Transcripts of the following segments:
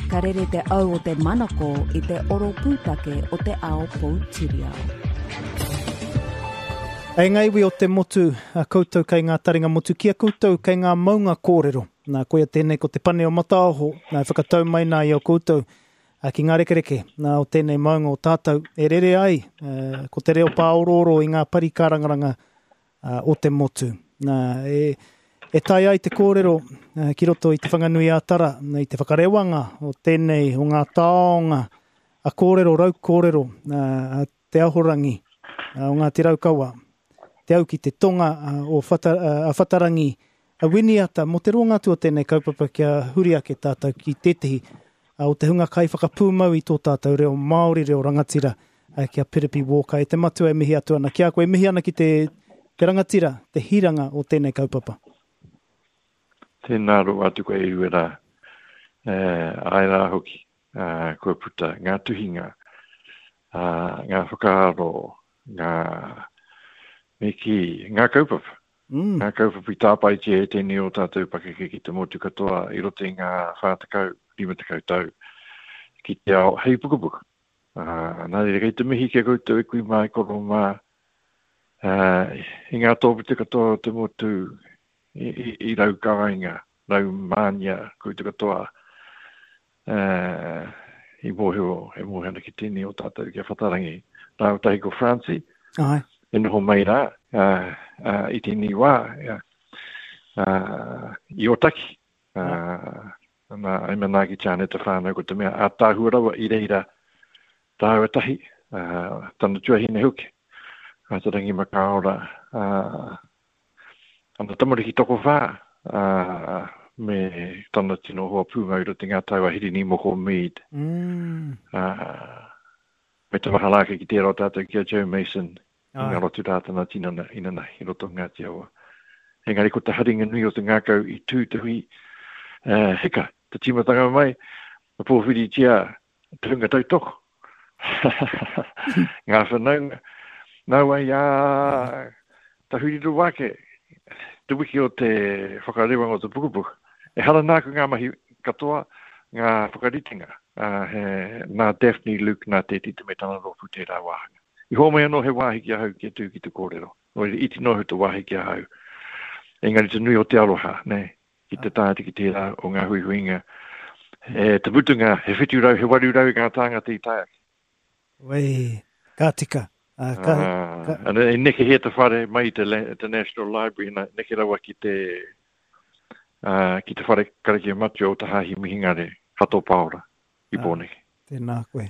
Ka rere te au o te manako i te oro pūtake o te ao poutiriao. E ngā iwi o te motu, a koutou kei ngā taringa motu, ki a koutou kei ngā maunga kōrero. Nā, koia tēnei ko te pane o Mataoho, nā, e whakatau mai nā i a koutou a, ki ngā rekereke nā, o tēnei maunga o tātou, e rere ai ko te reo pāorooro i ngā pari kārangaranga o te motu. Nā, e, e tae ai te kōrero ki roto i Te Whanganui-ā-Tara, i te whakarewanga o tēnei, o ngā taonga a kōrero, rau kōrero, a Te Ahorangi o Ngāti Raukawa, te au ki te tonga o Whata, a Whatarangi, a Winiata, mō te roanga atu o tēnei kaupapa kia huri ake tātou ki tētehi o te hunga kaiwhakapūmau i tō tātou reo Māori, reo rangatira, ki a Piripi Walker. E te matua e mihi atu ana ki a koe, e mihi ana ki te, te rangatira, te hiranga o tēnei kaupapa. Tēnā roa atu koe e Uera, e, āe rā hoki, kua puta ngā tuhinga, ngā whakaaro, ngā, me kī, ngā kaupapa. Mm. Ngā kaupapa i tāpaetia e tēnei o tātou pakeke ki te motu katoa i roto i ngā 40, 50 tau ki te ao hei pukapuka. Uh, nā reira, kei te mihi ki a koutou e kui mā, e koro mā, uh, i ngā tōpito katoa o te motu i, i, i rau kāinga, rau mānia koutou katoa, uh, i mōhio, e mōhio ana ki tēnei o tātou ki a Whatarangi, rāua tahi ko Francie, Ai. e noho mai rā uh, uh, i tēnei wā, uh, uh, i Ōtaki. Uh, ana, e manaaki tia ana te whānau ko te mea ātaahua rawa i reira tāua tahi, uh, tana tuahine hoki, a Te Rangi Makaora, uh, ana tamariki tokowhā, uh, me tana tino hoa pūmau i roto i ngā tau a Hirini Moko Mead. Mm. Uh, me te mahara ake ki tērā o tātou ki a Joe Mason, i ngaro atu rā tana tinana inanahi i roto o Ngāti Awa. Engari ko te haringa nui o te ngākau i tū te hui uh, hika, te tīmatanga mai, ka pōwhiritia te hunga tautoko. Ngā whanaunga. Nā wai ā, tahuri rawa ake te wiki o te whakarewanga o te pukapuka. Ehara nāku ngā mahi katoa, ngā whakaritenga. Uh, he, nā Daphne Luke, nā Te Tite me tana rōpū tērā wāhanga. I hōmai anō he wāhi ki ahau kia tū ki te kōrero. Nō reira, iti noa iho te wāhi ki ahau. Engari te nui o te aroha, nē, ki te tae atu ki tērā o ngā huihuinga. E, te mutunga, he 700, he 800 ngā tāngata i tae ake. Wei, ka tika. Uh, ka, ka... Ana, e nekehia te whare mai i te, te National Library, na, neke rawa ki te, uh, ki te whare karakia matua o te Hāhi Mihingare, Hato Paora. i Pōneke. Ah, tēnā koe.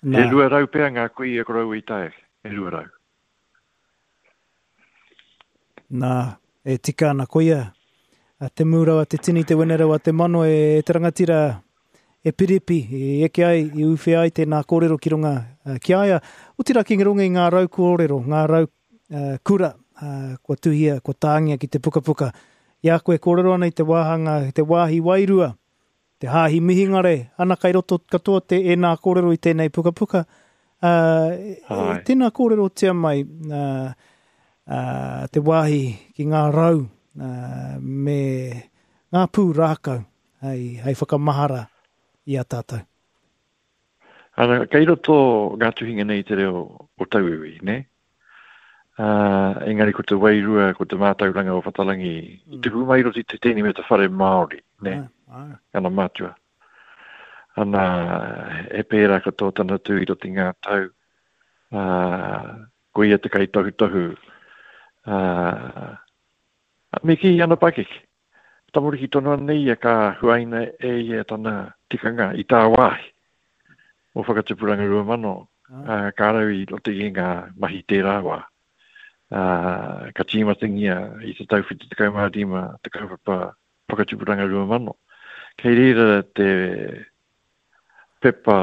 Nā. He 200 pea ngā kuia koroua i tae ake, he 200. Nā, e tika ana koia, a te mūrau a te tini, te wenerau a te mano e, e te rangatira e Piripi, i eke ai, i uwhe ai tēnā kōrero ki runga ki a ia. Otirā ki runga i ngā rau kōrero, ngā rau uh, kura, uh, kua tuhia, kua tāngia ki te pukapuka. I a koe kōrero ana i te wāhanga, te wāhi wairua, Te Hāhi Mihingare, ana kai roto katoa te ēnā kōrero i tēnei pukapuka. Ā, tēnā kōrerotia mai ā, ā, te wāhi ki ngā rau ā, me ngā pū rākau hei, hei whakamahara i a tātou. Ana, kei roto ngā tuhinga nei i te reo o tauiwi, nē? Ā, engari ko te wairua, ko te mātauranga o Whatarangi i tupu mai i roto i te tēnei me te whare Māori, nē? Ana mātua. Ana, he pērā katoa tana tū i roto i ngā tau. Ā, ko ia te kaitohutohu. Ā, me kī ana pakeke. Tamariki tonu ana ia ka huaina e ia tana tikanga i tāwāhi o Whakatupuranga 2000, ā, ka rau i roto i ngā mahi tērā wā. Ā, ka tīmatangia i te tau 75 te kaupapa Whakatupuranga 2000. Kei reira te pepa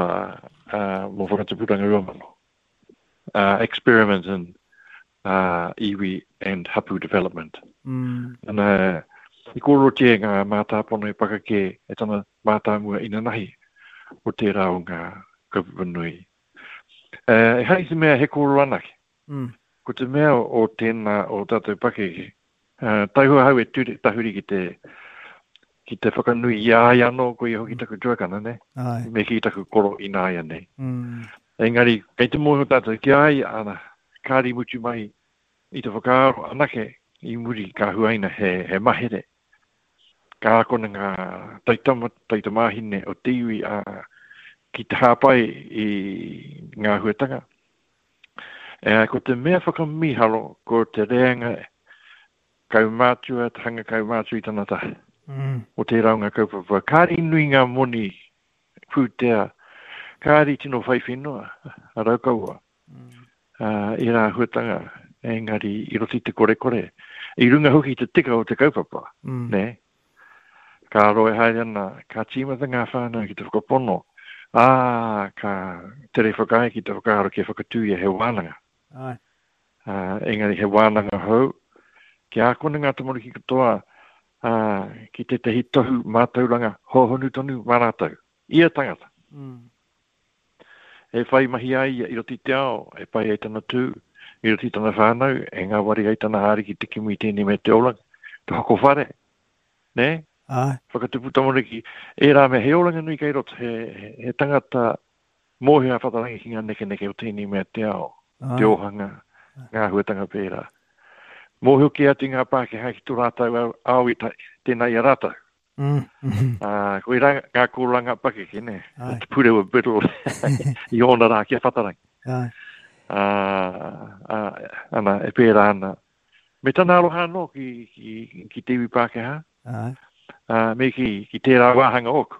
ā, mō Whakatupuranga 2000. Uh, experiment in uh, iwi and hapu development. Mm. Ana, i kōrerotia e ngā mātāpono e pakake e tana mātāmua inanahi o tērā o ngā kaupapa nui. Uh, ehara i te mea he kōrero anake. Mm. Ko te mea o tēnā o tātou pakeke, uh, taihoa hau e ture, tahuri ki te, ki te whakanui i a ia anō, ko ia hoki taku tuakana, nē? Āe. Me kī taku koro ināianei. Mm. Engari, kei te mōhio tātou ki a ia, ana, kāri mutu mai i te whakaaro anake i muri ka huaina he, he mahere. Ka akona ngā taitama, taitamāhine o te iwi a, ki te hāpai i ngā huatanga. E, ko te mea whakamīharo, ko te reanga kaumātua, te hanga kaumātua i tana taha. Mm. O tērā o ngā kaupapa. Kāri nui ngā moni pūtea, kāri tino whai whenua, a Raukawa. Mm. Uh, ērā āhuatanga, engari i roto i te korekore. I runga hoki i te tika o te kaupapa, mm. nē? Ka roa e haere ana, ka tīmata ngā whānau ki te whakapono, ā, ka tere whakaae ki te whakaaro kia whakatūria he wānanga. Āe. Ā, engari he wānanga hou, kia ākona ngā tamariki katoa, ā, ki tētahi tohu mātauranga hōhonu tonu mā rātou, ia tangata. Mm. E whai mahi ai ia i roto i te ao, e pai ai tana tū, i roto i tana whānau, e ngāwari ai tana haere ki te kimi i tēnei mea te oranga, te hoko whare, nē? Āe. Whakatupu tamariki, ērā mea, he oranga nui kei roto, he, he, he tangata mōhio a Whatarangi ki ngā nekeneke o tēnei mea te ao, Āe. te ōhanga, ngā āhuatanga pērā. Mōhio kē atu ngā Pākehā ki tō rātou ao, ao i ta, tēnā i a rātou. Mm. Ā, koirā ngā kōranga pakeke, nē? Āe. Te Purewa Biddle i ōna rā ki a Whatarangi. Āe. Ā, ā, ana, e pērā ana. Me tana aroha anō ki, ki, ki te iwi Pākehā. Āe. Ā, me ki, ki tērā wāhanga ōku.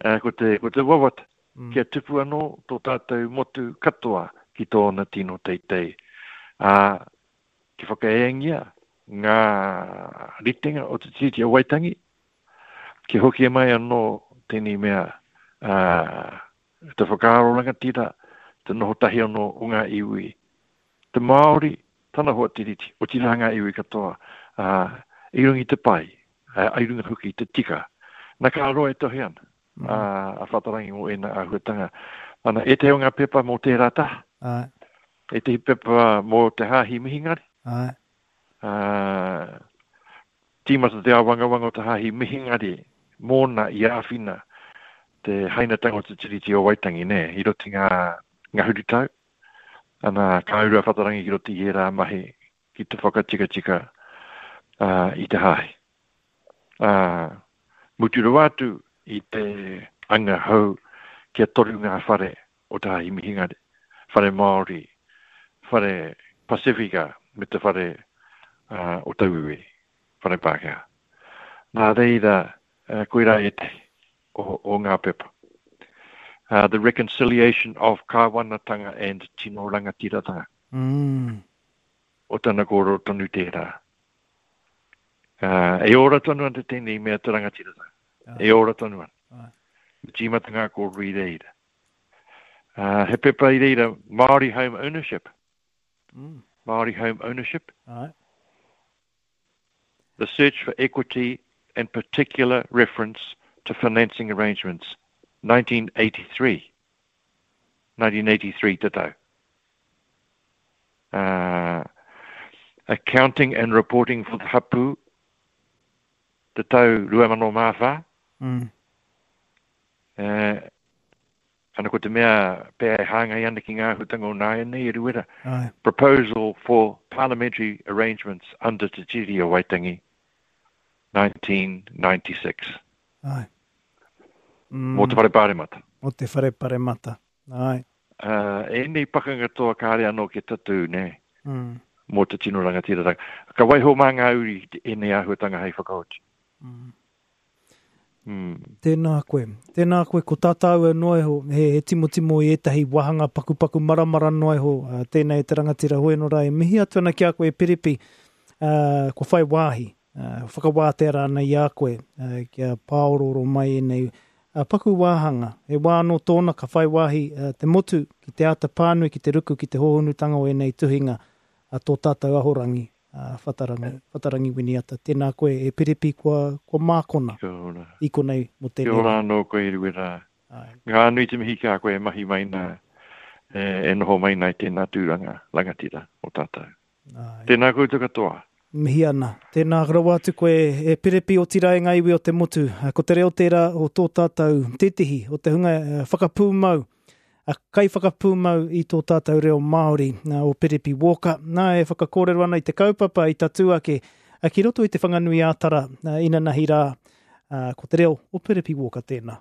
Ā, ko te, ko te wawata, mm. kia tupu anō tō tātou motu katoa ki tōna tino teitei. Ā, Kia whakaeengia ngā ritenga o te Tiriti o Waitangi, kia hoki mai anō tēnei mea, ā, te whakaaro rangatira, te noho tahi anō o ngā iwi, te Māori, tana hoa Tiriti, otirā ngā iwi katoa, ā, i runga i te pai, ā, i runga hoki i te tika. Na ka roa e tohe ana a, a Whatarangi mō ēnā āhuatanga. Ana, ētehi o ngā pepa mō tērā taha. Āe. Ētehi pepa mō te Hāhi Mihingare. Āe. Ā, tīmata te āwangawanga o te Hāhi Mihingare mōna i āwhina te hainatanga o te Tiriti o Waitangi, nē, i roto i ngā ngahuru tau. Ana, ka uru a Whatarangi ki roto i ērā mahi ki te whakatikatika i te hāhi. Ā, mutu rawa atu i te anga hou kia toru ngā whare o te Hāhi Mihingare, Whare Māori, Whare Pasifika me te Whare o Tauiwi, Whare Pākehā. Nā reira, koirā ētahi o, o ngā pepa. The Reconciliation of Kāwanatanga and Tino Rangatiratanga. Mm. O tana kōrero tonu tērā. E ora tonu ana tēnei mea te rangatiratanga. E ora tonu ana. Me tīmata ngā kōrero i reira. He pepa i reira, Māori Home Ownership. Mm. Māori Home Ownership. Ai. The search for equity and particular reference to financing arrangements, 1983. 1983 te tau. Uh, accounting and reporting for the hapu, te tau 2004. Mm. Uh, ana ko te mea pea e hāngai ana ki ngā āhuatanga o nāianei e Ruera. Ai. Proposal for Parliamentary Arrangements under Te Tiriti o Waitangi, 1996. Ai. Mm. Mō te Whare Pāremata. Mō te Whare Pāremata. Ai. Uh, ēnei pakanga toa kāre anō kia tatū, nē? Mm. Mō te tino rangatiratanga. Ka waiho mā ngā uri ēnei āhuatanga hei whakaoti. Mm. Mm. Tēnā koe. Tēnā koe, ko tā tāua noa iho, he, he timotimo i ētahi wāhanga pakupaku maramara noa iho, uh, tēnei te rangatira hoi anō rā e mihi atu ana ki a koe e Piripi, uh, kua whai wāhi, uh, whakawātea rānei i a koe, uh, kia pāorooro mai ēnei uh, paku wāhanga. He wā anō tōna ka whai wāhi uh, te motu ki te āta pānui, ki te ruku, ki te hōhonutanga o ēnei tuhinga a tō tātou ahorangi, a Whatarangi, Whatarangi Winiata. Tēnā koe e Piripi kua, kua mākona Kia ora. i konei mō Kia tēnei ora rā. anō koe Eruera. Āe. Ngā nui te mihi ki a koe e mahi mai nā, e, e noho mai nā i tēnā tūranga rangatira o tātou. Āe. Tēnā koutou katoa. Mihi ana. Tēnā rawa atu koe e Perepi otirā e ngā iwi o te motu. Ko te reo tērā o tō tātou tētehi o te hunga whakapūmau, kaiwhakapūmau i tō tātou reo Māori, o Perepi Walker. Nā, e whakakōrero ana i te kaupapa i tatū ake ki roto i Te Whanganui-ā-Tara inanahi rā, ko te reo o Perepi Walker tēnā.